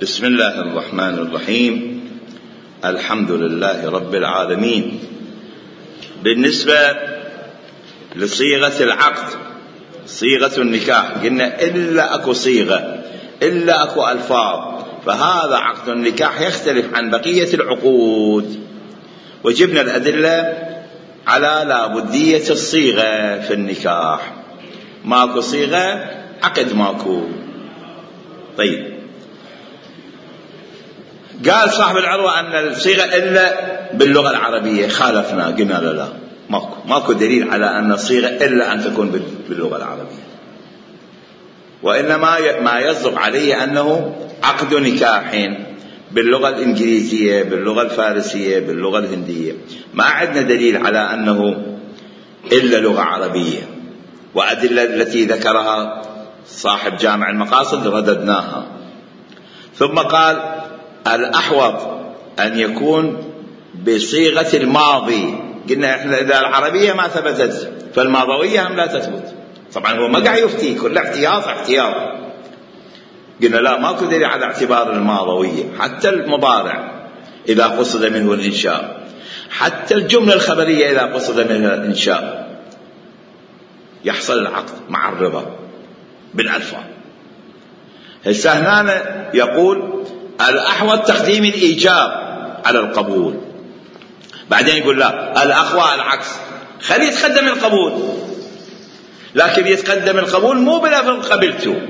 بسم الله الرحمن الرحيم. الحمد لله رب العالمين. بالنسبة لصيغة العقد، صيغة النكاح، قلنا إلا أكو صيغة، إلا أكو ألفاظ، فهذا عقد النكاح يختلف عن بقية العقود. وجبنا الأدلة على لابدية الصيغة في النكاح. ماكو صيغة عقد ماكو. طيب، قال صاحب العروة أن الصيغة إلا باللغة العربية، خالفنا قلنا لا، ماكو دليل على أن الصيغة إلا أن تكون باللغة العربية، وإنما ما يصدق عليه أنه عقد نكاح باللغة الإنجليزية، باللغة الفارسية، باللغة الهندية. ما عندنا دليل على أنه إلا لغة عربية. وأدلة التي ذكرها صاحب جامع المقاصد رددناها. ثم قال الأحوط أن يكون بصيغة الماضي. قلنا إحنا إذا العربية ما ثبتت فالماضوية هم لا تثبت. طبعا هو ما قاعد يفتي، كل احتياط. قلنا لا، ماكو دليل على اعتبار الماضوية. حتى المضارع إذا قصد منه الإنشاء، حتى الجملة الخبرية إذا قصد منها الإنشاء، يحصل العقد مع الرضا بالألفاظ. هسه هنا يقول الأحوط تقديم الإيجاب على القبول. بعدين يقول لا، الأقوى العكس، خليه يتقدم القبول، لكن يتقدم القبول مو بلفظ قبلته،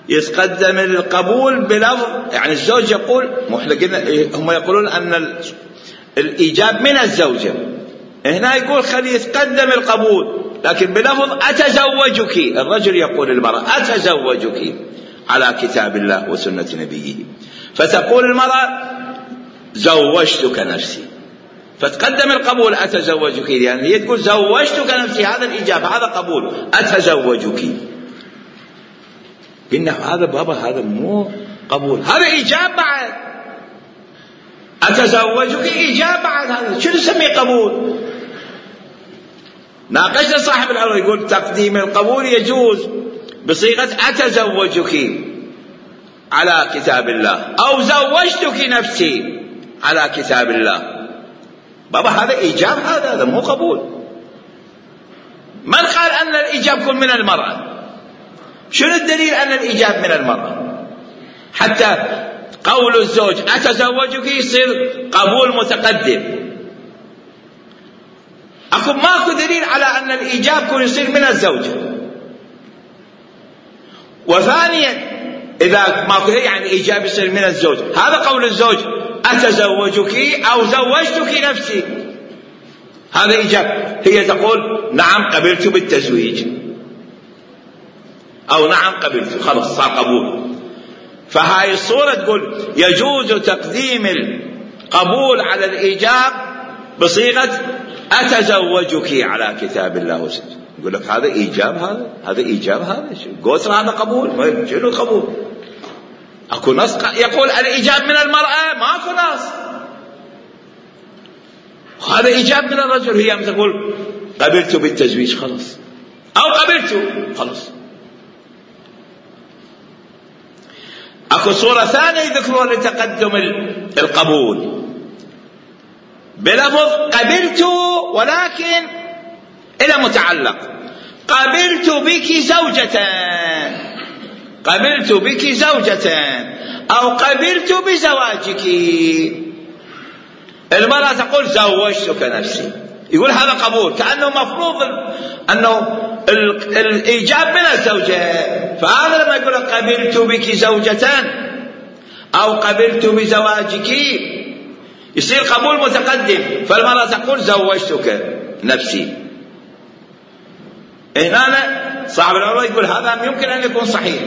يتقدم القبول بلفظ، يعني الزوج يقول، هم يقولون أن الإيجاب من الزوجة، هنا يقول خليه يتقدم القبول لكن بلفظ أتزوجك. الرجل يقول للمرأة أتزوجك على كتاب الله وسنة نبيه، فتقول المرأة زوجتك نفسي، فتقدم القبول أتزوجك، يعني هي تقول زوجتك نفسي، هذا الإجابة، هذا قبول. أتزوجك، قلنا هذا بابا، هذا مو قبول، هذا إيجاب بعد. أتزوجك إيجاب بعد، هذا شو نسميه قبول؟ ناقشنا صاحب العروة يقول تقديم القبول يجوز بصيغة أتزوجك على كتاب الله، أو زوجتك نفسي على كتاب الله. بابا هذا إيجاب، هذا مو قبول. من قال أن الإيجاب يكون من المرأة؟ شنو الدليل أن الإيجاب من المرأة؟ حتى قول الزوج أتزوجك يصير قبول متقدم. ماكو دليل على أن الإيجاب يكون يصير من الزوجة. وثانيا إذا ماكو يعني الإيجاب يصير من الزوج، هذا قول الزوج أتزوجك أو زوجتك نفسي، هذا إيجاب. هي تقول نعم قبلت بالتزويج، أو نعم قبلت، خلاص صار قبول. فهاي الصورة تقول يجوز تقديم القبول على الإيجاب بصيغة أتزوجك على كتاب الله وسنة. يقول لك هذا إيجاب، هذا إيجاب، هذا قوسر، هذا قبول. شنو قبول؟ أكو نص يقول الإيجاب من المرأة، ماكو نص. هذا إيجاب من الرجل، هي تقول قبلت بالتزويج خلاص، أو قبلت خلاص. أكو صورة ثانية يذكرون لتقدم القبول بلفظ قبلت، ولكن إلى متعلق، قبلت بك زوجة، قبلت بك زوجة، أو قبلت بزواجك. المرأة تقول زوجتك نفسي، يقول هذا قبول، كأنه مفروض أنه الإيجاب من الزوجة. فهذا لما يقول قبلت بك زوجة أو قبلت بزواجك يصير قبول متقدم، فالمرأة تقول زوجتك نفسي. هنا صاحب العروة يقول هذا يمكن أن يكون صحيح،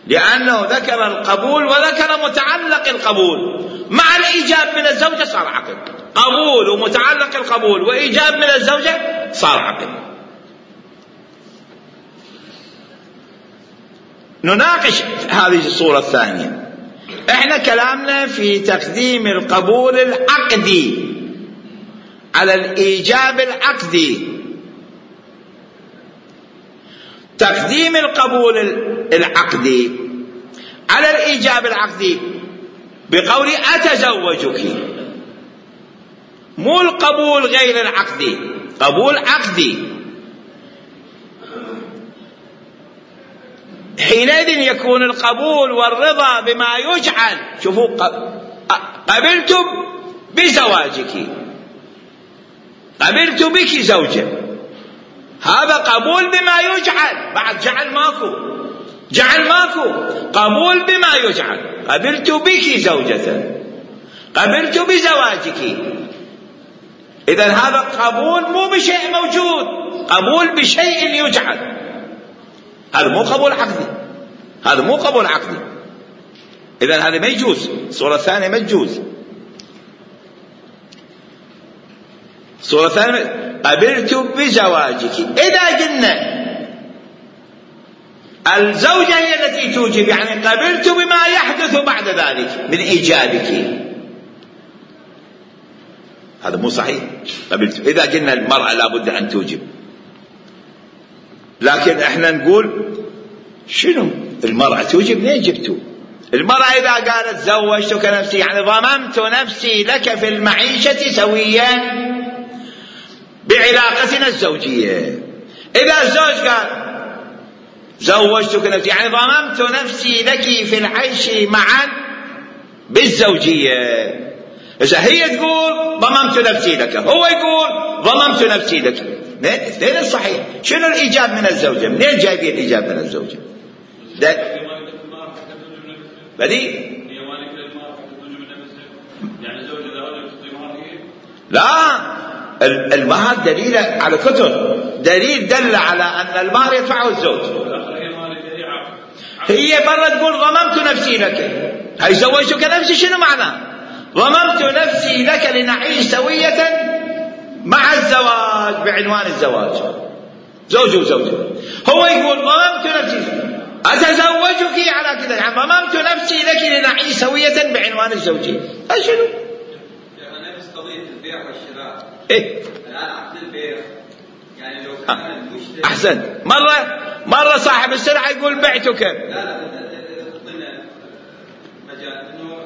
لأنه ذكر القبول وذكر متعلق القبول مع الإيجاب من الزوجة، صار عقد. قبول ومتعلق القبول وإيجاب من الزوجة صار عقد. نناقش هذه الصورة الثانية. احنا كلامنا في تقديم القبول العقدي على الإيجاب العقدي. تقديم القبول العقدي على الإيجاب العقدي بقول أتزوجك، مو القبول غير العقدي، قبول عقدي. حينئذ يكون القبول والرضا بما يجعل. شوفوا، قبلت بزواجك، قبلت بك زوجة، هذا قبول بما يجعل. بعد جعل ماكو، جعل ماكو، قبول بما يجعل. قبلت بك زوجة، قبلت بزواجك. إذن هذا قبول مو بشيء موجود، قبول بشيء يجعل. هذا مو قبول عقدي، هذا مو قبول عقدي. إذن هذا ما يجوز. الصورة الثانية ما تجوز. الصورة الثانية قبلت بزواجك. إذا قلنا الزوجة هي التي توجب، يعني قبلت بما يحدث بعد ذلك من إيجابك، هذا مو صحيح. قبلت إذا قلنا المرأة لابد أن توجب، لكن احنا نقول شنو المرأة توجب؟ منين جبتوا؟ المرأة إذا قالت زوجتك نفسي، يعني ضممت نفسي لك في المعيشة سويا بعلاقتنا الزوجية. إذا الزوج قال زوجتك نفسي، يعني ضممت نفسي لك في العيش معا بالزوجية. إذا هي تقول ضممت نفسي لك، هو يقول ضممت نفسي لك، اثنين الصحيح. شنو الإيجاب من الزوجة؟ منين جايبين الإيجاب من الزوجة؟ بدي لا، المهر دليل على كتب، دليل دل على أن المهر يدفعه الزوج. هي مرة تقول ضممت نفسي لك، هاي زوجتك نفسي شنو معناه؟ ضممت نفسي لك لنعيش سوية مع الزواج بعنوان الزواج، زوج وزوجة. هو يقول ضممت نفسي أتزوجك على كذا، يعني ضممت نفسي لك لنعيش سوية بعنوان الزوجية. شنو؟ يعني نفس قضية البيع والشراء. إيه؟ الآن عقد البيع، يعني لو كان المشتري أحسن. مرة صاحب السلعة يقول بعتك. لا تعطينا مجال إنه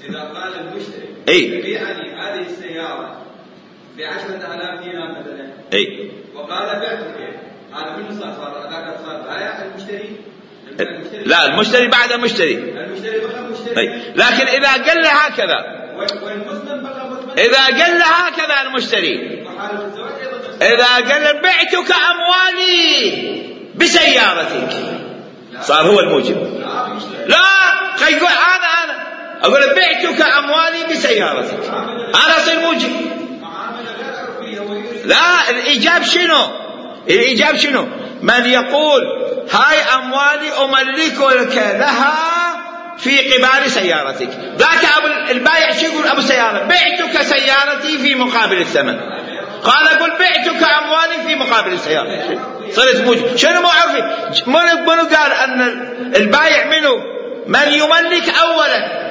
إذا قال المشتري إيه؟ بيعني هذه السيارة ب10,000 دينار مثلا، إيه؟ وقال بعتك، هذا منه صار بايع المشتري؟ لا، المشتري بعد المشتري بقى مشتري. إيه؟ لكن إذا قال له هكذا، والمسلم بقى مسلم. إذا قال له هكذا المشتري، إذا قال بعتك أموالي بسيارتك، صار هو الموجب. لا، يقول أنا أقول بعتك أموالي بسيارتك، أنا أصير موجب. لا، الإيجاب شنو؟ الإيجاب شنو؟ من يقول هاي أموالي أملكك لها في قبال سيارتك، ذاك أبو البايع شو يقول؟ أبو السيارة بعتك سيارتي في مقابل الثمن. قال أقول بعتك أموالي في مقابل السيارة، صرت موجب. شنو مو عارفين؟ منو قال أن البايع منو؟ من يملك أولا،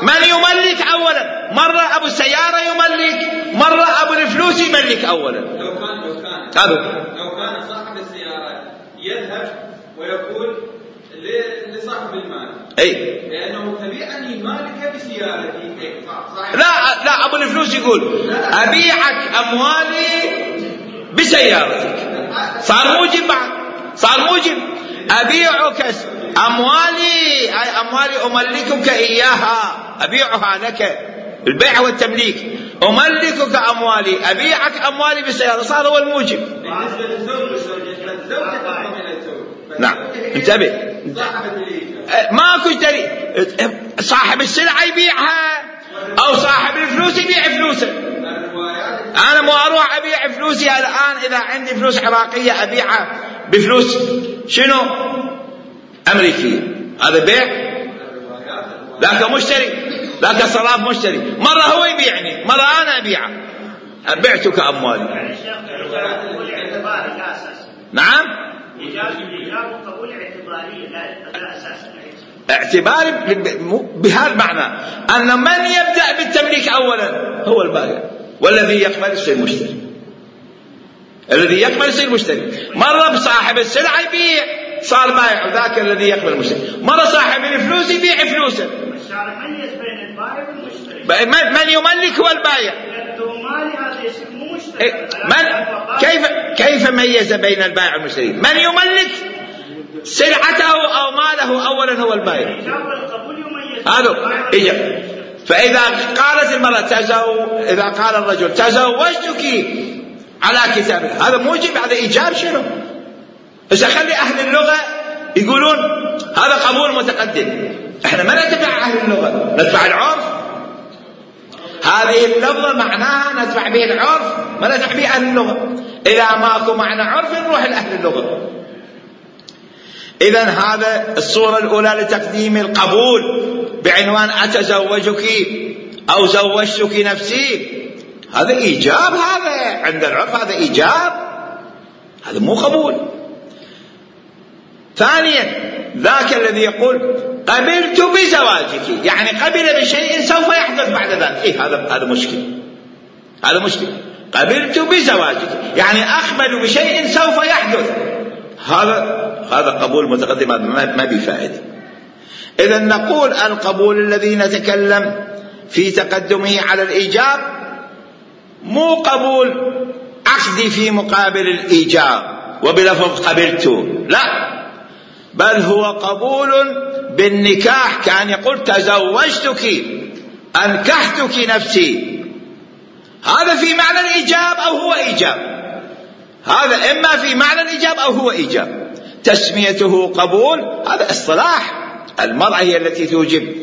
من يملك أولا. مرة أبو السيارة يملك، مرة أبو الفلوس يملك أولا. لو كان صاحب السيارة يذهب ويقول لصاحب المال، أي لأنه تبيعني مالك بسيارتي. لا، أبو الفلوس يقول أبيعك أموالي بسيارتك، صار موجب. بعد صار موجب. أبيعك أموالي، أي أموالي أملكك إياها، أبيعها لك، البيع والتمليك. أملكك أموالي، أبيعك أموالي بسيارة، صار هو الموجب. بالنسبة للزوج تضم إلى الزوج. نعم، انتبه، ماكو دليل. صاحب السلعة يبيعها أو صاحب الفلوس يبيع فلوسه. أنا مو أروح أبيع فلوسي الآن، إذا عندي فلوس عراقية أبيعها بفلوس شنو؟ أمريكية. هذا بيع. ذاك مشتري، ذاك صراف مشتري. مرة هو يبيعني، مرة أنا أبيعه. بعتك أموالي. نعم، إيجاب وقبول اعتباري، لا أساسا. اعتباري بهذا المعنى أن من يبدأ بالتمليك أولا هو البائع، والذي يقبل يصير مشتري. الذي يقبل يصير مشتري. مرة بصاحب السلعة يبيع، صار بائع وذاك الذي يقبل المشتري. مرة صاحب الفلوس يبيع فلوسه. الشارع ميز بين البائع والمشتري. من يملك هو البائع. كيف ميز بين البائع والمشتري؟ من يملك سلعته أو ماله أولا هو البائع. هذا فإذا قالت المرأة إذا قال الرجل تزوجتك على كتاب الله، هذا موجب، هذا إيجاب شنو؟ إذا خلي أهل اللغة يقولون هذا قبول متقدم، إحنا ما نتبع أهل اللغة، نتبع العرف. هذه اللفظة معناها نتبع به العرف، ما نتبع به أهل اللغة. إذا ماكو معنى عرف نروح لأهل اللغة. إذن هذا الصورة الأولى لتقديم القبول بعنوان أتزوجك أو زوجتك نفسي، هذا إيجاب، هذا عند العرف هذا إيجاب، هذا مو قبول. ثانيا ذاك الذي يقول قبلت بزواجك، يعني قبل بشيء سوف يحدث بعد ذلك، هذا مشكل، هذا مشكل. قبلت بزواجك يعني أقبل بشيء سوف يحدث، هذا قبول متقدم، ما بفائدة. إذن نقول القبول الذي نتكلم في تقدمه على الإيجاب مو قبول عقدي في مقابل الإيجاب وبلفظ قبلت، لا، بل هو قبول بالنكاح، كان يقول تزوجتك أنكحتك نفسي، هذا في معنى الإيجاب أو هو إيجاب، هذا إما في معنى الإيجاب أو هو إيجاب. تسميته قبول هذا اصطلاح، المرأة هي التي توجب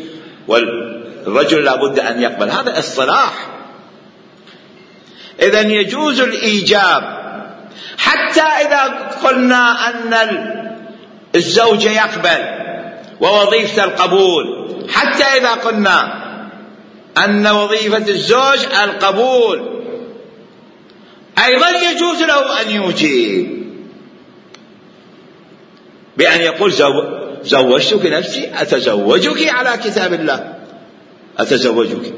والرجل لابد أن يقبل، هذا اصطلاح. إذن يجوز الإيجاب حتى إذا قلنا أن الزوج يقبل ووظيفة القبول، حتى إذا قلنا أن وظيفة الزوج القبول، أيضا يجوز له أن يجيب بأن يقول زوجتك نفسي، أتزوجك على كتاب الله، أتزوجك.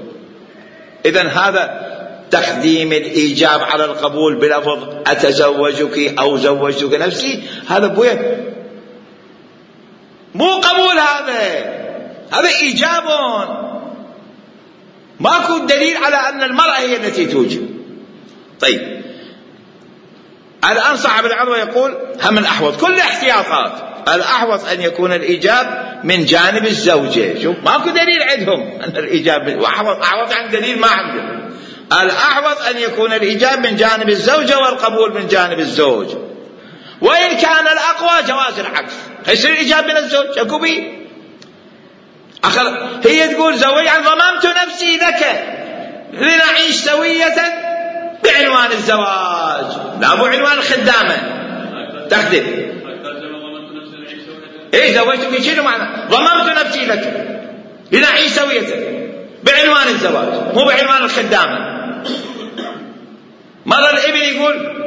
إذن هذا تقديم الإيجاب على القبول بلفظ أتزوجك أو زوجتك نفسي، هذا بوين مو قبول، هذا إيجاب، ماكو دليل على أن المرأة هي التي توجب. طيب الآن صاحب العروة يقول هم الأحوط، كل احتياطات، الأحوط أن يكون الإيجاب من جانب الزوجة. شوف ماكو دليل عندهم أن الإيجاب أحوط عن دليل ما عندهم. الأحوط أن يكون الإيجاب من جانب الزوجة والقبول من جانب الزوج، وإن كان الأقوى جواز العكس، يصير الإيجاب من الزوج أكو بيه. هي تقول زوجا ضممت نفسي لك لنعيش سوية بعنوان الزواج، لا مو عنوان الخدامة تخدم. زوجتك شنو معنى؟ ضممت نفسي لك لنعيش سوية بعنوان الزواج، مو بعنوان الخدامة. مرة الابن يقول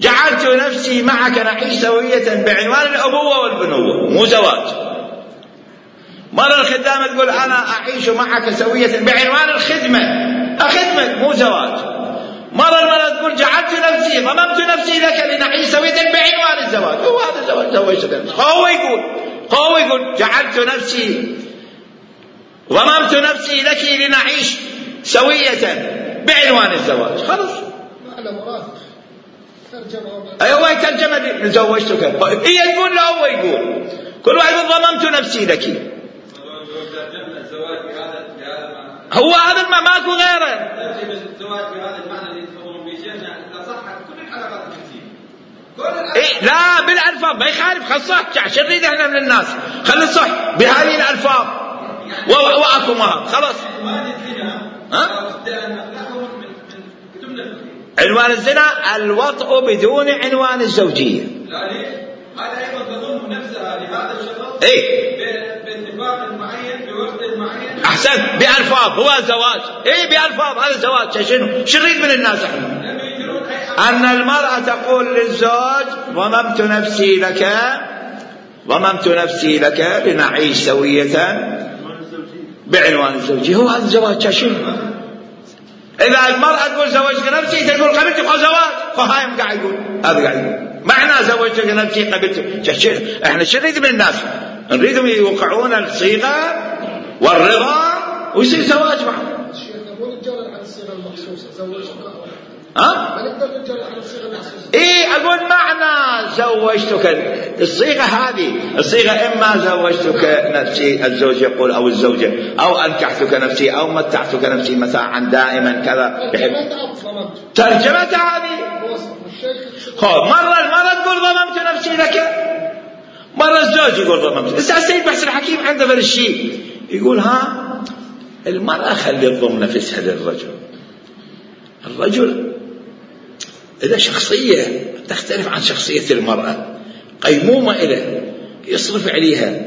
جعلت نفسي معك نعيش سوية بعنوان الأبوة والبنوة، مو زواج. مرة الخدامة تقول أنا أعيش معك سوية بعنوان الخدمة، أخدمك، مو زواج. مرة المرأة تقول جعلت نفسي ضممت نفسي لك لنعيش سوية بعنوان الزواج، هو هذا الزواج، زوجت نفسي. هو يقول جعلت نفسي ضممت نفسي لك لنعيش سوية بعنوان الزواج، خلاص. هو ترجمة زوجتك، هي تقول له هو يقول، كل واحد ضممت نفسي لك، هو هذا ما ماكو غيره. الزواج بهذا المعنى اللي تفهمون به شيخنا اذا صحت كل الحلقات لا بالالفاظ ما يخالف، خلصت عشان نريد احنا من الناس، خلي صح بهذه الالفاظ واكو مهر خلاص. عنوان الزنا الوطء بدون عنوان الزوجية. لا ليش؟ هذا أيضا تضم نفسها لهذا الشخص باتفاق معين بوقت معين. أحسن بألفاظ، هو زواج. بألفاظ هذا زواج. شنو نريد من الناس احنا؟ أن المرأة تقول للزوج ضممت نفسي لك لنعيش سوية بعنوان الزوجية، هو هذا الزواج. شنو إذا المرأة تقول زوجت نفسي، تقول قبلت زواج، فهايم قاعد يقول هذا قاعد يقول معنى زوجتك نفسي قبلت. احنا شو نريد من الناس؟ نريدهم يوقعون الصيغة والرضا ويصير زواج معه. مو نتجرد على الصيغة المخصوصة زوجتك. ما نقدر نتجرد على الصيغة المخصوصة. اقول معنى زوجتك الصيغة هذه، الصيغة اما زوجتك نفسي الزوج يقول او الزوجة، او انكحتك نفسي، او متعتك نفسي متاعا دائما كذا. ترجمتها هذه. مرة المرأة تقول ضممت نفسي لك، مرة الزوج يقول ضممت. السيد محسن الحكيم عنده فرق الشيء يقول المرأة خلي تضم نفسها للرجل. الرجل إذا شخصية تختلف عن شخصية المرأة، قيمومة إله يصرف عليها،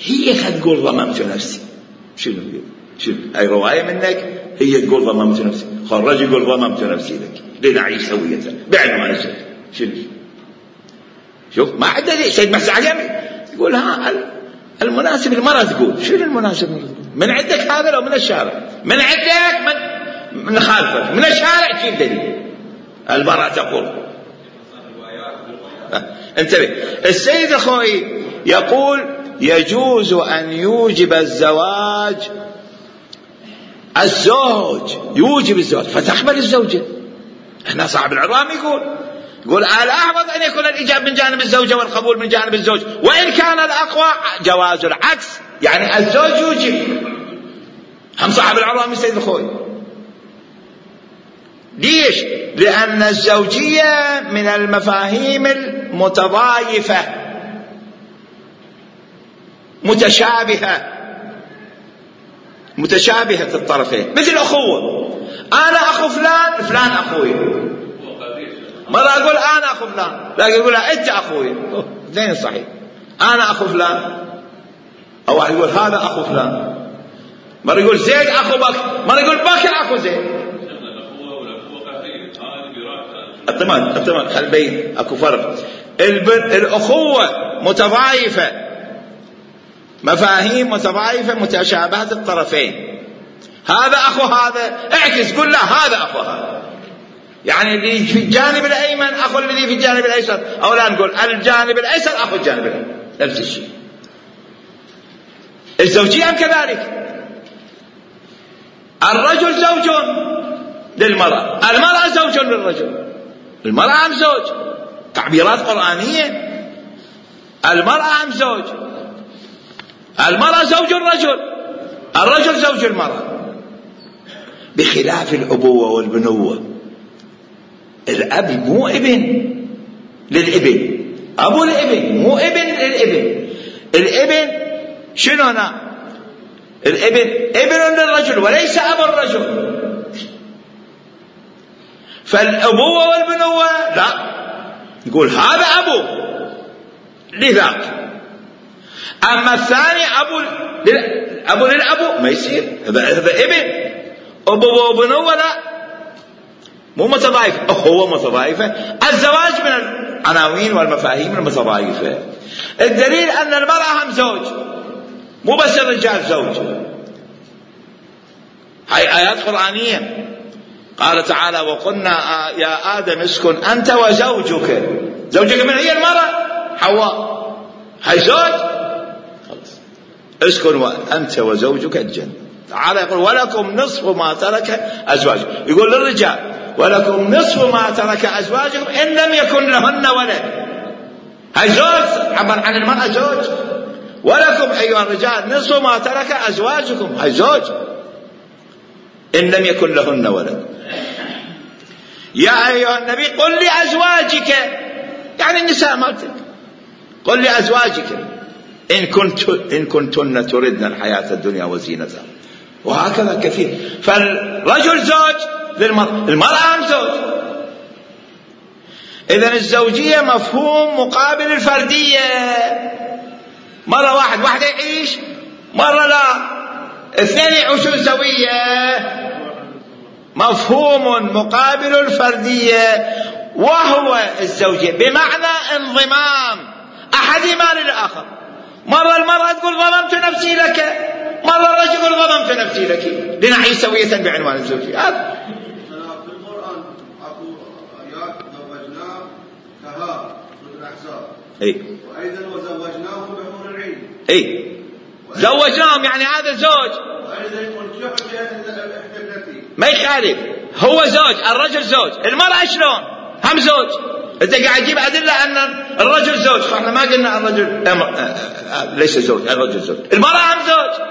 هي تقول ضممت نفسي. شنو أي رواية منك هي تقول ضممت نفسي، الرجل يقول ضممت نفسي لك لنعيش سوية بعنوان الزوج. شوف ما عدا سيد محسن الحكيم يقول المناسب المرأة تقول. شنو المناسب من عندك هذا لو من الشارع؟ من عندك من خالفك من الشارع كيف دليل؟ المرأة تقول. انتبه، السيد أخوي يقول يجوز أن يوجب الزواج الزوج، يوجب الزواج فتقبل الزوجة. هنا صاحب العظام يقول الأحوط أن يكون الإيجاب من جانب الزوجة والقبول من جانب الزوج، وإن كان الأقوى جواز العكس، يعني الزوج يوجب. هم صاحب العظام السيد الخوي. ليش؟ لأن الزوجية من المفاهيم المتضايفة متشابهة الطرفين، مثل أخوة. أنا أخو فلان، فلان أخوي. مرة أقول أنا أخو فلان، لكن يقول أنت أخوي. اثنين صحيح. أنا أخو فلان، أو واحد يقول هذا أخو فلان. مرة يقول زيد أخو بكر، مرة يقول بكر أخو زيد. التمام خل بين أكو فرق. الأخوة متضايفة، مفاهيم متضايفة متشابهة الطرفين. هذا أخو هذا، اعكس قل لا هذا أخو هذا، يعني اللي في الجانب الأيمن أخو الذي في الجانب الأيسر، أو لا نقول الجانب الأيسر أخو الجانب الأيمن، نفس الشيء. الزوجية كذلك، الرجل زوج للمرأة، المرأة زوج للرجل. المرأة أم زوج، تعبيرات قرآنية. المرأة أم زوج، المرأة زوج الرجل، الرجل زوج المرأة، بخلاف الأبوة والبنوة. الأب مو ابن للابن، أبو الابن مو ابن للابن. الابن شنو هنا؟ الابن ابن للرجل وليس أبو الرجل. فالأبوة والبنوة لا، يقول هذا أبو لذاك. أما الثاني أبو للأبو ما يصير، هذا ابن. أبوة وبنوة لا، مو متضايفة، هو متضايفة. الزواج من العناوين والمفاهيم المتضايفة. الدليل أن المرأة هم زوج، مو بس الرجال زوج. هاي آيات قرآنية. قال تعالى وقلنا يا آدم اسكن أنت وزوجك. زوجك من هي المرأة حواء، هاي زوج خلاص. اسكن أنت وزوجك الجنة. تعالى يقول ولكم نصف ما ترك أزواجكم، يقول للرجال ولكم نصف ما ترك أزواجكم إن لم يكن لهن ولد. هاي زوج، عبر عن المرأة زوج. ولكم أيها الرجال نصف ما ترك أزواجكم، هاي زوج إن لم يكن لهن ولد. يا أيها النبي قل لأزواجك، يعني النساء مالتك، قل لأزواجك إن كنتن تردن الحياة الدنيا وزينتها. وهكذا كثير. فالرجل زوج للمرأة، المرأة هم زوج. إذن الزوجية مفهوم مقابل الفردية. مرة واحدة يعيش، مرة لا، اثنين يعيشون سوية. مفهوم مقابل الفردية وهو الزوجية، بمعنى انضمام أحدهما للآخر. مرة المرأة تقول ظلمت نفسي لك، مرة الرجل يقول ظلمت نفسي لك لنعيش سوية بعنوان الزوجية. في القرآن أكو آيات زوجنا كها وأيضا وزوجناهم بحور العين. زوجناهم يعني هذا زوج. ما يخالف، هو زوج، الرجل زوج، المرأة شلون؟ هم زوج. انت قاعد تجيب أدلة أن الرجل زوج، احنا ما قلنا الرجل ليس زوج، الرجل زوج، المرأة هم زوج.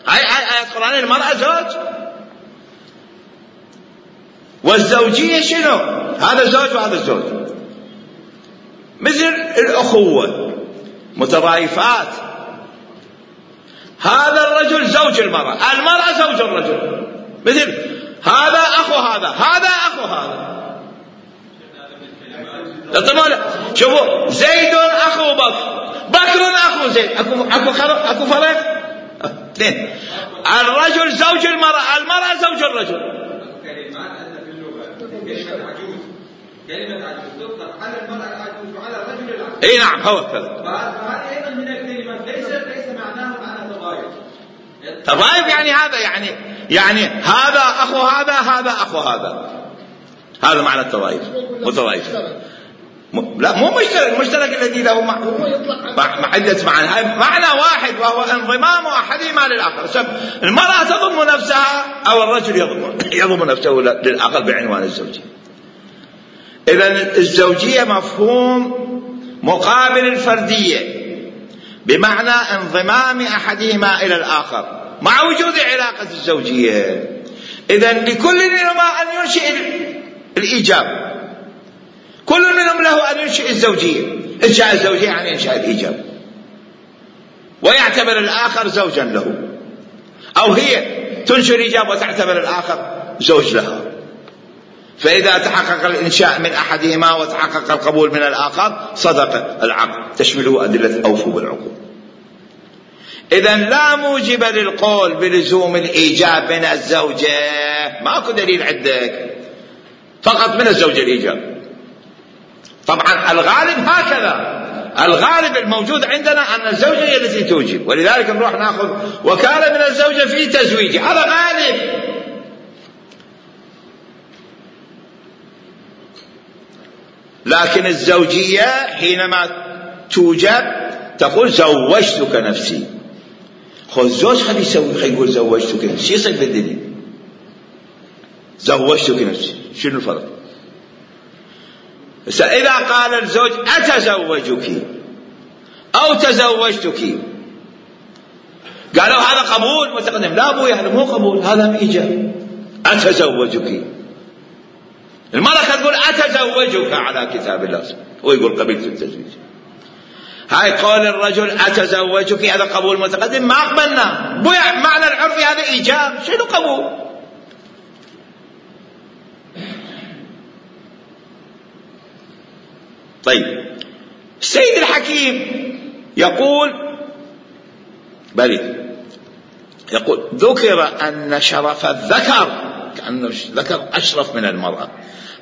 هاي آية قرآنية، المرأة زوج. والزوجية شنو؟ هذا زوج وهذا زوج، مثل الأخوة متضايفات. هذا الرجل زوج المرأة، المرأة زوج الرجل، مثل هذا أخو هذا، هذا أخو هذا. شوفوا، زيد أخو بكر، بكر أخو زيد، أكو فرق؟ اثنين. الرجل زوج المرأة، المرأة زوج الرجل. كلمة عجوز تطلق على المرأة العجوز وعلى الرجل العجوز. نعم هو كذا. فهذه أيضا من الكلمات ليس معناه معنى تضايف. تضايف يعني هذا يعني هذا أخو هذا، هذا أخو هذا معنى التضايف. متضايف. لا مو مشترك، المشترك الذي له محدث معنى واحد، وهو انضمام أحدهما للآخر. المرأة تضم نفسها أو الرجل يضم نفسه للآخر بعنوان الزوجية. إذن الزوجية مفهوم مقابل الفردية، بمعنى انضمام أحدهما إلى الآخر مع وجود علاقة الزوجية. إذن لكل منهما أن ينشئ الإيجاب، كل منهم له أن ينشئ الزوجية. إنشاء الزوجية يعني إنشاء الإيجاب، ويعتبر الآخر زوجا له، أو هي تنشئ الإيجاب وتعتبر الآخر زوج لها. فإذا تحقق الإنشاء من أحدهما وتحقق القبول من الآخر صدق العقد، تشمله أدلة أوفوا بالعقود. إذن لا موجب للقول بلزوم الإيجاب من الزوجة، ماكو دليل عندك، فقط من الزوجة الإيجاب. طبعا الغالب هكذا، الغالب الموجود عندنا أن الزوجة هي التي توجب، ولذلك نروح نأخذ وكالة من الزوجة في تزويجه، هذا غالب. لكن الزوجية حينما توجب تقول زوجتك نفسي. خذ زوج خلي يقول زوجتك نفسي، شو يصير بالدنيا؟ زوجتك نفسي، شنو الفرق؟ إذا قال الزوج أتزوجك أو تزوجتك، قالوا هذا قبول متقدم. لا أبوي، هذا مو قبول، هذا إيجاب. أتزوجك، المرأة تقول أتزوجك على كتاب الله، ويقول قبلت التزويج. هاي قول الرجل أتزوجك هذا قبول متقدم، ما أقبلنا. معنى العرفي هذا إيجاب، شنو قبول؟ طيب، السيد الحكيم يقول يقول ذكر أن شرف الذكر، كأن الذكر أشرف من المرأة،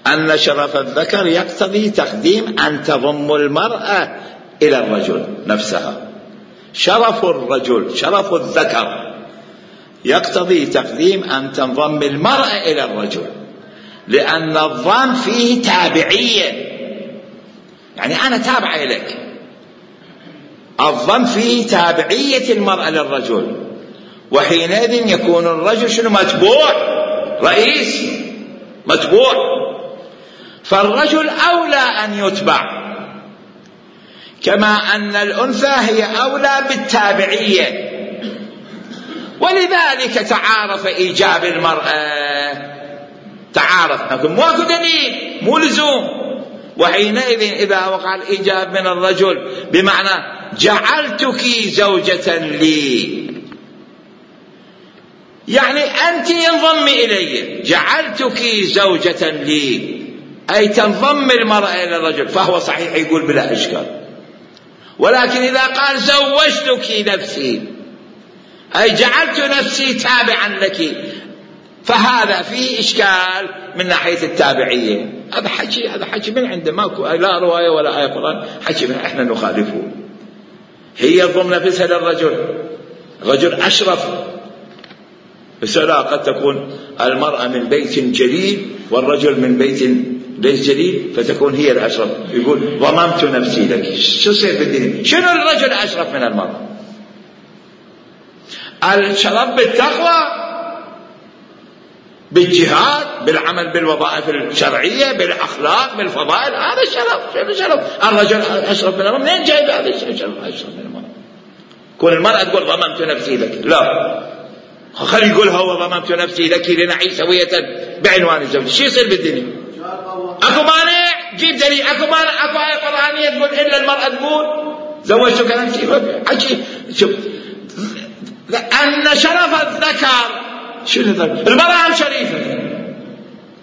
أن شرف الذكر يقتضي تقديم أن تضم المرأة إلى الرجل نفسها. شرف الرجل، شرف الذكر يقتضي تقديم أن تنضم المرأة إلى الرجل، لأن الضم فيه تابعية، يعني أنا تابع إليك. الضم فيه تابعية المرأة للرجل، وحينئذ يكون الرجل شنو؟ متبوع، رئيس متبوع. فالرجل أولى أن يتبع، كما أن الأنثى هي أولى بالتابعية. ولذلك تعارف إيجاب المرأة، تعارف، لكن ماكو دليل، مو لزوم. وحينئذ إذا وقع الإيجاب من الرجل بمعنى جعلتك زوجة لي، يعني أنت انضمي إلي، جعلتك زوجة لي، أي تنضم المرأة إلى الرجل، فهو صحيح يقول بلا إشكال. ولكن إذا قال زوجتك نفسي، أي جعلت نفسي تابعا لك، فهذا فيه إشكال من ناحية التابعية. هذا حكي من عنده، ماكو لا رواية ولا آية قرآن، حكي من إحنا نخالفه. هي ضمن نفسها للرجل، الرجل أشرف. بس لا، قد تكون المرأة من بيت جليل والرجل من بيت ليش جليل؟ فتكون هي الأشرف. يقول ضممت نفسي لك. شو يصير بالدين؟ شنو الرجل أشرف من المرأة؟ الشرف بالتقوى، بالجهاد، بالعمل بالوظائف الشرعية، بالأخلاق، بالفضائل. هذا الشرف. الرجل أشرف من المرأة. منين جايب هذا الشرف أشرف من المرأة؟ كون المرأة تقول ضممت نفسي لك، لا، خلي يقولها هو ضممت نفسي لك لنعيش سوية بعنوان الزوج. شو يصير بالدنيا؟ اكو مانع؟ جيب دليل. اكو مانع؟ اكو آية قرآنية تقول إلا المرأة تقول زوجتك نفسي؟ حكي. شوف، لأن شرف الذكر شنو الذكر؟ المرأة هم شريفة،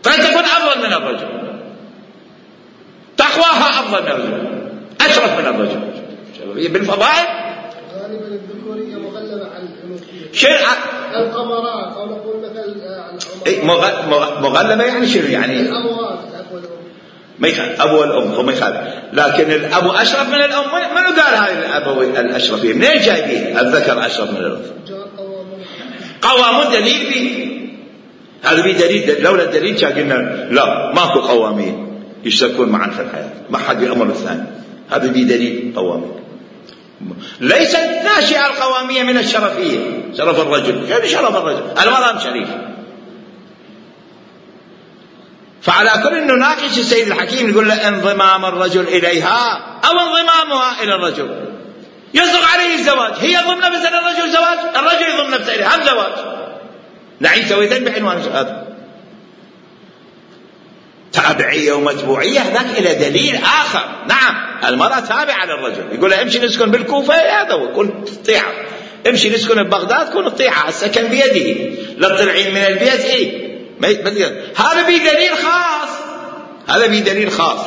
قد تكون أفضل من الرجل، تقواها أفضل من الرجل، أشرف من الرجل بالفضائل. غالبا الذكورية مغلبة على الأنوثية. القمرات أو نقول مثل مغلبة يعني شنو يعني؟ الأبوات، ما يخالف أبو والأم هو ما يخالف، لكن الأبو أشرف من الأم. منو قال هاي الأبوي الأشرفية؟ منين جايبين الذكر أشرف من الأنثى؟ قوامون دليل فيه. هذا فيه دليل. لولا الدليل كان قلنا لا ماكو قوامين يشتركون معا في الحياة، ما حد يأمر الثاني. هذا فيه دليل قوامين. ليست ناشئة القوامية من الشرفية، شرف الرجل. يعني شرف الرجل، المرأة شريف. فعلى كل نناقش السيد الحكيم يقول له انضمام الرجل إليها أو انضمامها إلى الرجل يصدق عليه الزواج. هي ضمن نفسها الرجل زواج، الرجل يضمن نفسه إليها هم زواج. نعيش سويتين بعنوان هذا. تابعية ومتبوعية هذاك إلى دليل آخر. نعم المرأة تابعة للرجل. يقول له امشي نسكن بالكوفة، هذا هو كن تطيعه. امشي نسكن ببغداد، كن تطيعه. السكن بيده، لا تطلعين من البيت. هذا بدليل خاص. هذا بدليل خاص.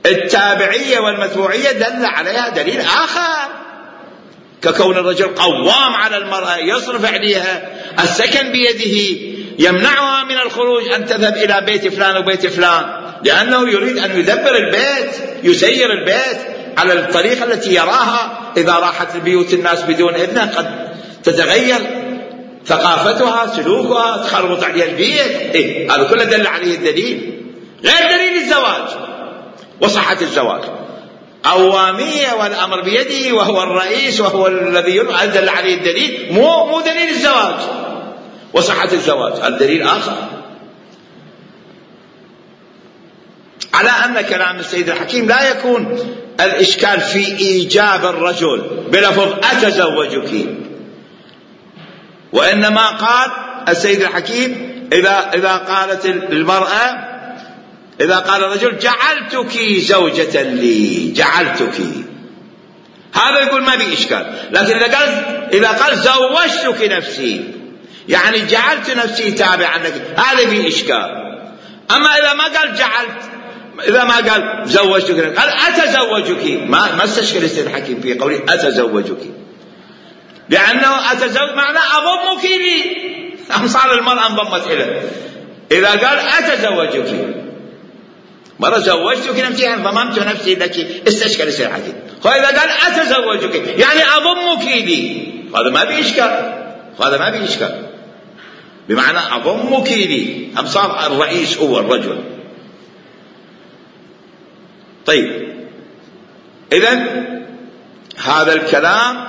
التابعية والمتبوعية دل عليها دليل آخر، ككون الرجل قوام على المرأة، يصرف عليها، السكن بيده، يمنعها من الخروج أن تذهب إلى بيت فلان وبيت فلان، لأنه يريد أن يدبر البيت، يسير البيت على الطريقة التي يراها. إذا راحت البيوت الناس بدون إذنه قد تتغير ثقافتها، سلوكها، تخربط عليها البيت. هذا كله دل عليه الدليل، غير دليل الزواج وصحة الزواج. قوامية والأمر بيده وهو الرئيس وهو الذي دل عليه الدليل، مو دليل الزواج وصحة الزواج. الدليل آخر. على أن كلام السيد الحكيم لا يكون الإشكال في إيجاب الرجل بلفظ أتزوجك، وإنما قال السيد الحكيم إذا قالت المرأة، إذا قال الرجل جعلتك زوجة لي، جعلتك، هذا يقول ما بي إشكال. لكن إذا قال زوجتك نفسي، يعني جعلت نفسي تابعا لك، هذا بي إشكال. أما إذا ما قال جعلت، إذا ما قال زوجتك، قال أتزوجك، ما استشكل السيد الحكيم في قوله أتزوجك، لأنه أتزوج معناه أضمك لي، صار المرأة انضمت إليه. إذا قال أتزوجك، مرة زوجتك نفسي يعني ضممت نفسي لك، استشكل السيد الحكيم. وإذا قال أتزوجك يعني أضمك لي، هذا ما بإشكال، هذا ما بإشكال، بمعنى أضمك لي، هم صار الرئيس هو الرجل. طيب، إذن هذا الكلام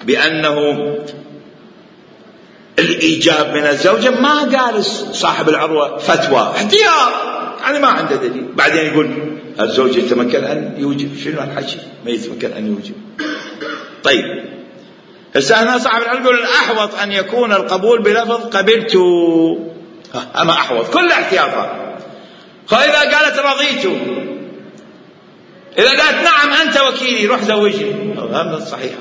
بأنه الإيجاب من الزوجة ما قال صاحب العروة فتوى احتياط، يعني ما عنده دليل. بعدين يقول الزوج يتمكن أن يوجب. شنو الحكي؟ ما يتمكن أن يوجب. طيب، هسه هنا صاحب العلم يقول الأحوط أن يكون القبول بلفظ قبلت، أما أحوط كل احتياطات. فإذا قالت رضيت، إذا قالت نعم أنت وكيلي روح زوجني، هذا صحيح.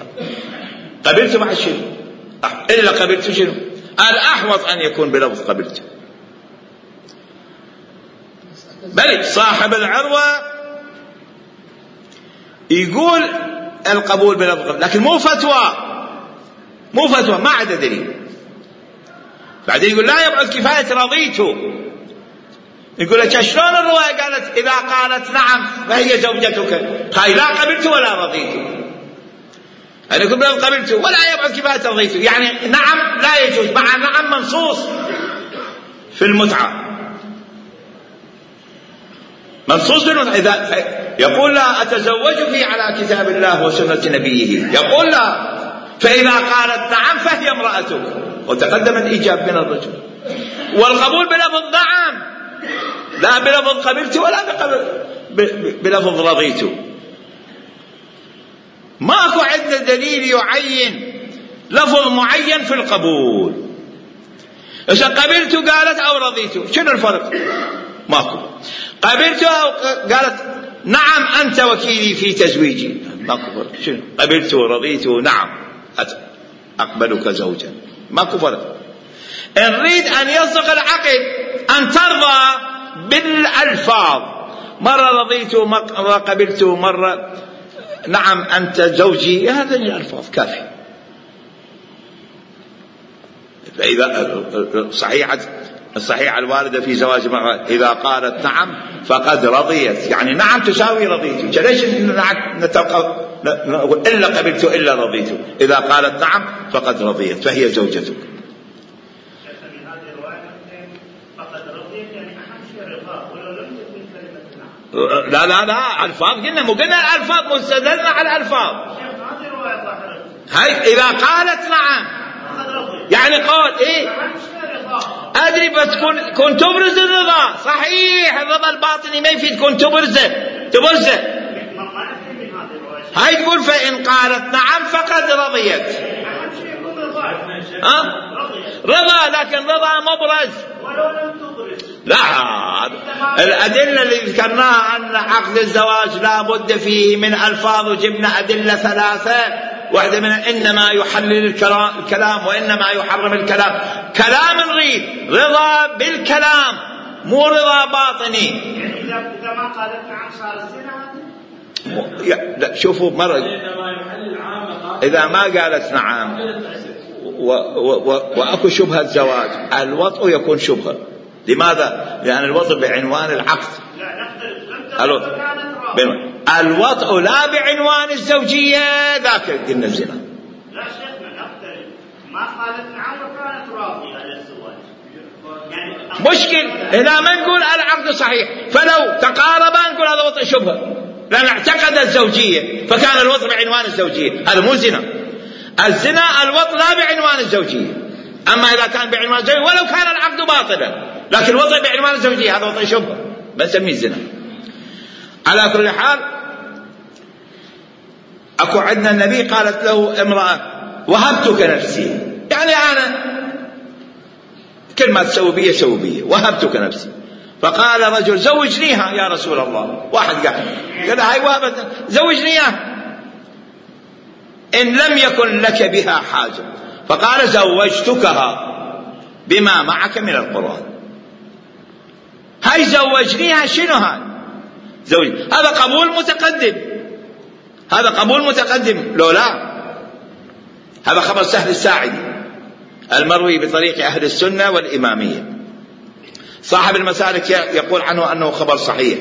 قبلت مع شنو؟ إلا قبلت شنو؟ الأحوط أن يكون بلفظ قبلت. بل صاحب العروة يقول القبول بلفظ، لكن مو فتوى، مو فتوى، ما عنده دليل. بعدين يقول لا يبعد كفاية رضيت. يقول لك شلون الرواية قالت إذا قالت نعم فهي زوجتك، هاي لا قبلت ولا رضيت. أنا يقول بلفظ قبلت ولا يبعد كفاية رضيت، يعني نعم لا يجوز، مع نعم منصوص في المتعة، منصوص إذا يقول لا أتزوجك على كتاب الله وسنة نبيه، يقول لا، فإذا قالت نعم فهي امرأتك، وتقدم الإيجاب من الرجل، والقبول بلفظ نعم، لا بلفظ قبلت ولا بلفظ رضيت. ماكو عندنا دليل يعين لفظ معين في القبول. إذا قبلت قالت أو رضيت، شنو الفرق؟ ماكو. قبلت أو قالت نعم أنت وكيلي في تزويجي، ماكو فرق. شنو قبلت ورضيت؟ نعم أقبلك زوجا، ماكو فرق. إن نريد أن يصدق العقد أن ترضى بالألفاظ، مرة رضيت مرة قبلت مرة نعم أنت زوجي، هذه الألفاظ كافية. فإذا الصحيحة الواردة في زواج المرأة إذا قالت نعم فقد رضيت، يعني نعم تساوي رضيت. ليش نقول إلا قبلت إلا رضيت؟ إذا قالت نعم فقد رضيت فهي زوجتك. لا لا لا، ألفاظ قلنا، مو قلنا الألفاظ، مستدلنا على الألفاظ. هاي إذا قالت نعم يعني قول إيه أدري، بس كن تبرز الرضا. صحيح الرضا الباطني ما يفيد، كن تبرزه. هاي تقول فإن قالت نعم فقد رضيت. رضا، لكن رضا مبرز. لا، الأدلة اللي ذكرناها أن عقد الزواج لا بد فيه من ألفاظ، وجبنا أدلة 3، واحدة من إنما يحلل الكلام وإنما يحرم الكلام. كلام نريد رضا بالكلام، مو رضا باطني. يعني إذا ما قالت نعم صار الزنا. لا شوفوا مرة، إذا ما قالت نعم وأكو شبهة زواج، الوطء يكون شبهة. لماذا؟ لأن الوطء بعنوان العقد. الوطء لا بعنوان الزوجية، ذاك قلنا الزنا. لا شيخنا نختلف، ما قالت نعم وكانت راضية على الزواج، يعني مشكل هنا ما نقول العقد صحيح، فلو تقاربا نقول هذا وطء شبهة، لأن اعتقد الزوجية فكان الوطء بعنوان الزوجية، هذا مو زنا. الزنا الوطء لا بعنوان الزوجية. أما إذا كان بعنوان الزوجية ولو كان العقد باطلا، لكن الوطء بعنوان الزوجية هذا وطء شبهة، بنسميه الزنا. على كل حال، أكو عندنا النبي قالت له امرأة وهبتك نفسي، يعني أنا كل ما تسوي بي سوي بي، وهبتك نفسي. فقال رجل زوجنيها يا رسول الله. واحد قال هاي وهبت، زوجنيها إن لم يكن لك بها حاجة. فقال زوجتكها بما معك من القرآن. هاي زوجنيها شنو هاي؟ هذا قبول متقدم، هذا قبول متقدم. لو لا، هذا خبر سهل الساعدي المروي بطريق أهل السنة والإمامية. صاحب المسالك يقول عنه أنه خبر صحيح.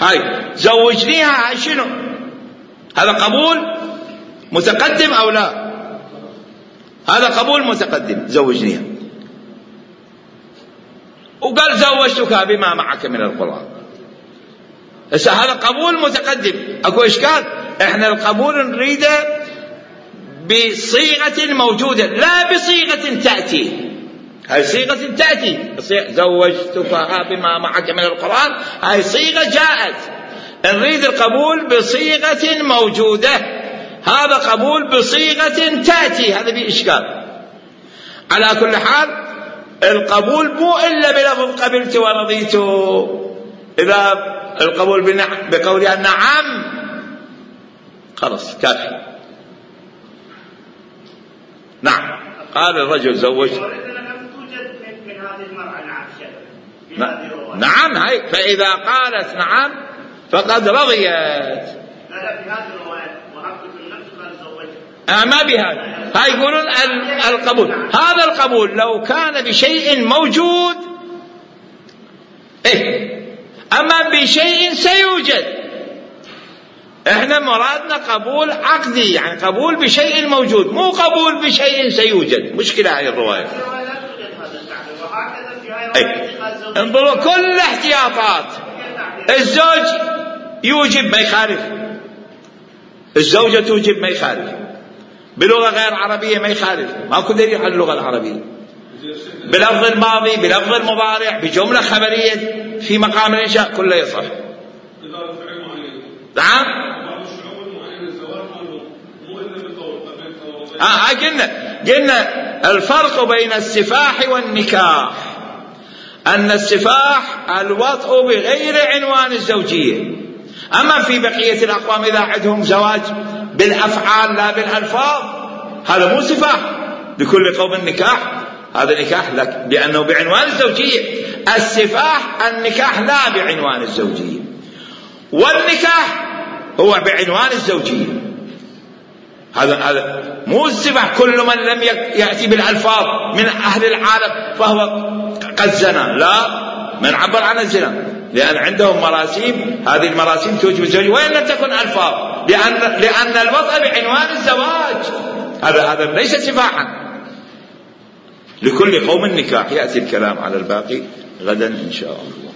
هاي زوجنيها، هاي شنو؟ هذا قبول متقدم أو لا؟ هذا قبول متقدم، زوجنيها. وقال زوجتك بما معك من القرآن. هذا قبول متقدم. أكو إشكال؟ إحنا القبول نريده بصيغة موجودة، لا بصيغة تأتي. هاي صيغة تأتي، زوجتك بما معك من القرآن، هاي صيغة جاءت. نريد القبول بصيغة موجودة، هذا قبول بصيغة تأتي، هذا فيه إشكال. على كل حال القبول مو إلا بلفظ قبلت ورضيت. إذا القبول بقولها نعم خلاص كافي. نعم. قال الرجل زوج. نعم، هاي فإذا قالت نعم فقد رضيت. لا في هذه الرواية وهبتك النفس قال زوجت. ما بهذا. هاي يقولون القبول، هذا القبول لو كان بشيء موجود أما بشيء سيوجد. احنا مرادنا قبول عقدي، يعني قبول بشيء موجود، مو قبول بشيء سيوجد. مشكلة هاي الرواية. انظروا كل احتياطات الزوج يوجب ما يخالف، الزوجة توجب ما يخالف، بلغة غير عربية ما يخالف، ماكو دليل على اللغة العربية، بلفظ الماضي بلفظ المضارع بجملة خبرية في مقام الإنشاء كله يصح. نعم قلنا الفرق بين السفاح والنكاح أن السفاح الوطء بغير عنوان الزوجية، أما في بقية الأقوام إذا عندهم زواج بالأفعال لا بالألفاظ هذا مو سفاح. لكل قوم النكاح، هذا نكاح لك لأنه بعنوان الزوجية. السفاح النكاح لا بعنوان الزوجية، والنكاح هو بعنوان الزوجية. هذا مو السفاح كل من لم يأتي بالألفاظ من أهل العالم فهو قد زنى، لا، من عبر عن الزنا، لأن عندهم مراسيم، هذه المراسيم توجب الزوجية وإن لم تكن ألفاظ، لأن الوضع بعنوان الزواج هذا ليس سفاحا. لكل قوم نكاح. يأتي الكلام على الباقي غدا إن شاء الله.